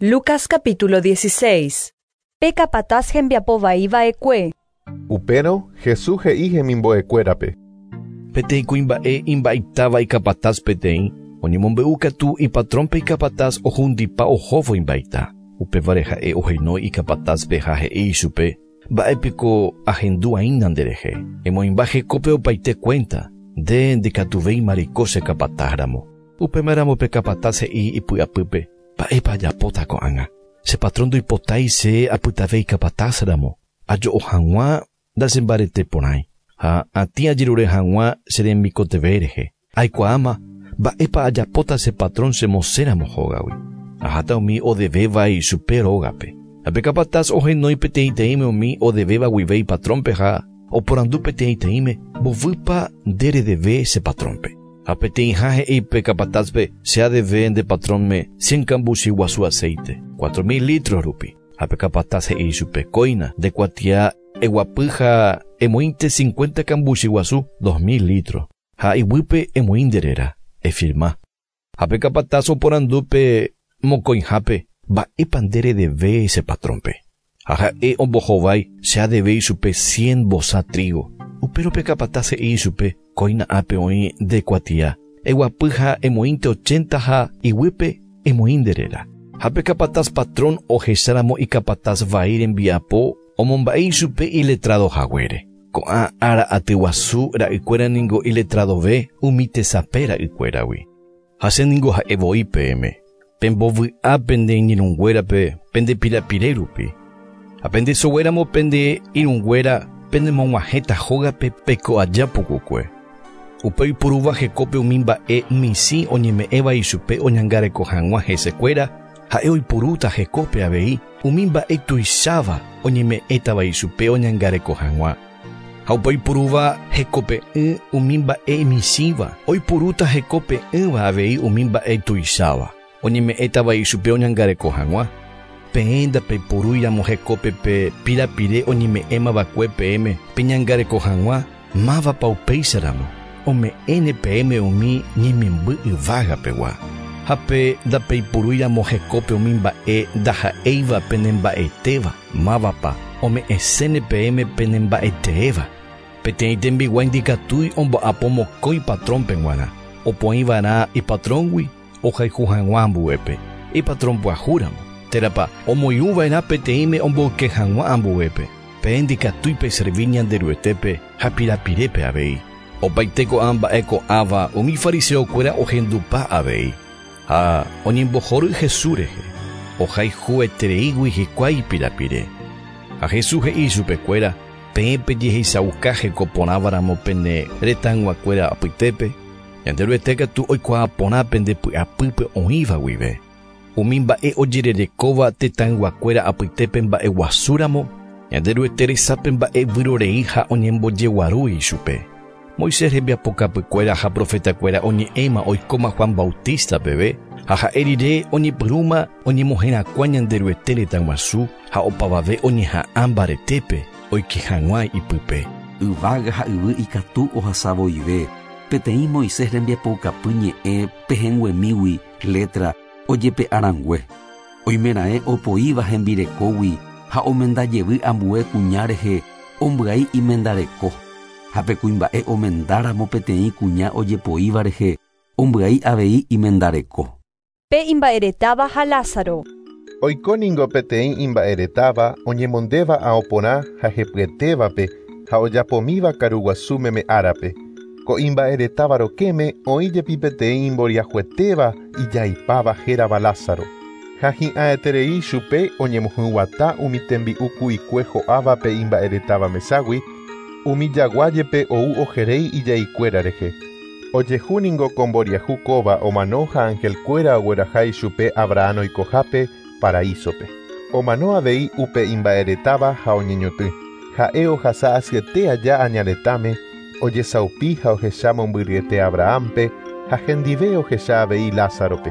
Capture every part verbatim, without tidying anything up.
Lucas capítulo dieciséis. Pe capataz hembiapo vaiva'ekue. Upérõ Jesús he'i hemimbo'ekuérape. Peteĩ kuimba'e imba'eitáva ikapataz peteĩ, oñemombe'u katu ipatrónpe ikapataz ohundipa ohóvo imba'eita. Upévare ha'e ohenói ikapatazpe ha he'i ichupe, mba'épiko ahendu'aína nderehe. Emoĩmba hekópe opaite cuenta, nde ndikatuvéima reiko che kapatázramo. Upémaramo pe capataz he'i ipy'apýpe, mba'épa ajapóta ko'ág̃a. Che patrón ndoipotái che apytave ikapatázramo. Ajo'o hag̃ua ndachembareteporãi ha atĩ ajerure hag̃ua che remikotevẽ rehe. Aikuaáma mba'épa ajapóta che patrón chemosẽramo hógagui. Aháta umi odevéva ichupe rógape. Ha pe capataz ohenói peteĩteĩme umi odevéva guive ipatrónpe ha oporandu peteĩteĩme mbovýpa nde redeve che patrónpe. Ha peteĩha he'i pe capatazpe che adeve nde patrónme cien kambuchi guasu aceite, cuatro mil litros rupi. Ha pe capataz he'i ichupe kóina nde kuatia eguapy ha emoĩnte cincuenta kambuchi guasu, dos mil litros. Ha iguýpe emoĩ nde réra, efirma. Ha pe capataz oporandu pe mokõihápe mba'épa nde redeve che patrónpe. Ha ha'e ombohovái che adeve ichupe cien vosa trigo. Upérõ pe capataz he'i ichupe kóina ápe oĩ nde kuatia. Eguapy ha emoĩnte ochenta ha iguýpe emoĩ nde réra. Ha pe capataz patrón ohecháramo ikapataz vai rembiapo omomba'e ichupe iletrado haguére. Ko'ã ára atyguasu ra'ykuéra ningo iletradove umi tesape ra'ykuéragui. Ha che ningo ha'e voi peẽme. Pembovy'a pende iñirũnguérape pende pirapire rupi. Ha pende soguéramo pende irũnguéra penemog̃uahẽta hógape peko aja pukukue. Upe oiporúva hekópe umi mba'e michĩ oñeme'ẽva ichupe oñangareko hag̃ua hesekuéra, ha'e oiporúta hekópe avei umi mba'e tuicháva oñeme'ẽtava ichupe oñangareko hag̃ua. Ha upe oiporúva hekope'ỹ umi mba'e michĩva, oiporúta hekope'ỹva avei umi mba'e tuicháva oñeme'ẽtava ichupe oñangareko hag̃ua. Peẽ ndapeiporúiramo hekópe pe pirapire oñeme'ẽmava'ekue peẽme peñangareko hag̃ua, mávapa upéicharamo ome'ẽne peẽme umi ñemimby yvágapegua. Ha pe ndapeiporúiramo hekópe umi mba'e ndaha'éiva penemba'etéva, mávapa ome'ẽséne peẽme penemba'eteéva. Peteĩ tembiguái ndikatúi omba'apo mokõi patrónpe g̃uarã, opoĩva'erã ipatróngui ohayhu hag̃ua ambuépe, ipatrón pyahúramo. Térãpa omoirũva'erã peteĩme omboyke hag̃ua ambuépe. Peẽ ndikatúi peservi Ñanderuetépe ha pirapirépe avei. Opaite ko'ã mba'e ko'ãva umi fariseokuéra ohendupa avei. Ha oñembohory Jesús rehe, ohayhuetereígui hikuái pirapire. Ha Jesús he'i chupekuéra, peẽ pejehechauka hekoporãvaramo pene retãyguakuéra apytépe, Ñanderuete katu oikuaa porã pende py'apýpe oĩva guive. Umi mba'e ojererekóva tetãyguakuéra apytépe mba'eguasúramo, Ñanderuete resápe mba'e vyrorei ha oñembojeguaru ichupe. Moisés rembiapokapykuéra ha profetakuéra oñe'ẽma oikóma Juan Bautista peve, ha ha'e rire oñepyrũma oñemoherakuã Ñanderuete retãguasu ha opavave oñeha'ã mbaretépe oike hag̃ua ipype. Yvága ha yvy ikatu ohasavoive, peteĩ Moisés rembiapoukapy ñe'ẽ pehẽnguemígui letra ojepe'arãngue. Oimeraẽ opoíva hembirekógui ha omendajevy ambue kuña rehe ombyai imendareko. Ha pe kuimba'e omendáramo peteĩ kuña ojepoíva rehe ombyai avei imendareko. Pe imba'eretáva ha Lázaro. Oiko ningo peteĩ imba'eretáva oñemondéva aoporã ha hepyetévape ha ojapomíva karuguasu meme árape. Ko imba'eretáva rokẽme oĩ jepi peteĩ imboriahuetéva ijaipáva hérava Lázaro. Ha hi'ãeterei chupe oñemohyg̃uatã umi tembi'u ku'ikue ho'áva pe imba'eretáva meságui, umi jaguájepe ou ojeréi ijaikuéra rehe. Ojehu ningo ko mboriahu kóva omano ha angelkuéra ogueraha ichupe Abraham oikohápe paraísope. Omano avei upe imba'eretáva ha oñeñotỹ. Ha'e ohasa asyete aja añaretãme, ojesaupi ha ohecha mombyryete Abrahampe ha hendive ohecha avei Lázarope.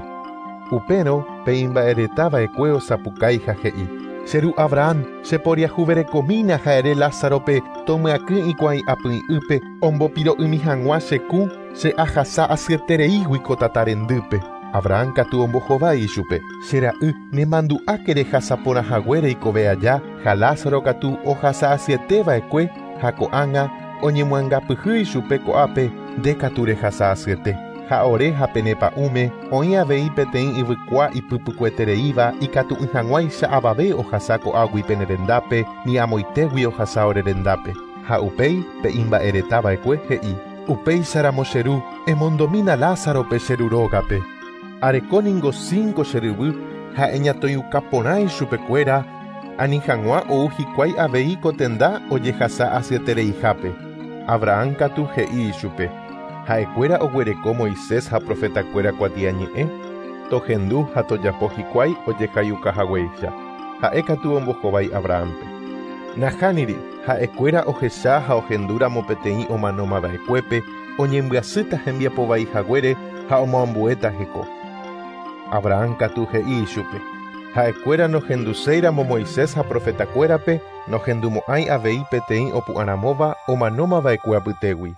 Upérõ pe imba'eretava'ekue osapukái ha he'i: Che ru Abraham, cheporiahuverekomína ha ere Lázarope tomyakỹ ikuái apy'ỹpe ombopiro'ymi hag̃ua che kũ che ahasa asyetereígui ko tata rendýpe. Abraham katu ombohovái ichupe. Che ra'y, nemandu'áke rehasa porã haguére ikove aja, ha Lázaro katu ohasa asyeteva'ekue ha ko'ág̃a oñemoangapyhy ichupe ko'ápe nde katu rehasa asyete. Ha ore ha penepa'ũme oĩ avei peteĩ yvykua ipypykuetereíva ikatu'ỹ hag̃uáicha avave ohasa ko'águi pene rendápe ni amoitégui ohasa ore rendápe. Ha upéi pe imba'eretava'ekue he'i: Upéicharamo che ru, emondomína Lázarope che ru rógape. Areko ningo cinco che ryvy ha eñatoĩuka ichupekuéra ani hag̃ua ou hikuái avei ko tenda ojehasa asyetereihápe. Abraham katu he'i ichupe: Ha'ekuéra oguereko Moisés ha profetakuéra kuatiañe'ẽ, tohendu ha tojapo hikuái ojehaiukahaguéicha. Ha'e katu ombohovái Abrahampe. Nahániri, ha'ekuéra ohecha ha ohendúramo peteĩ omanomava'ekuépe oñembyasýta hembiapovaihaguére ha omoambuéta heko. Abraham katu he'i ichupe: Ha'ekuéra nohenduséiramo Moisés ha profetakuérape nohendumo'ãi avei peteĩ opu'ãramóva omanomava'ekue apytégui.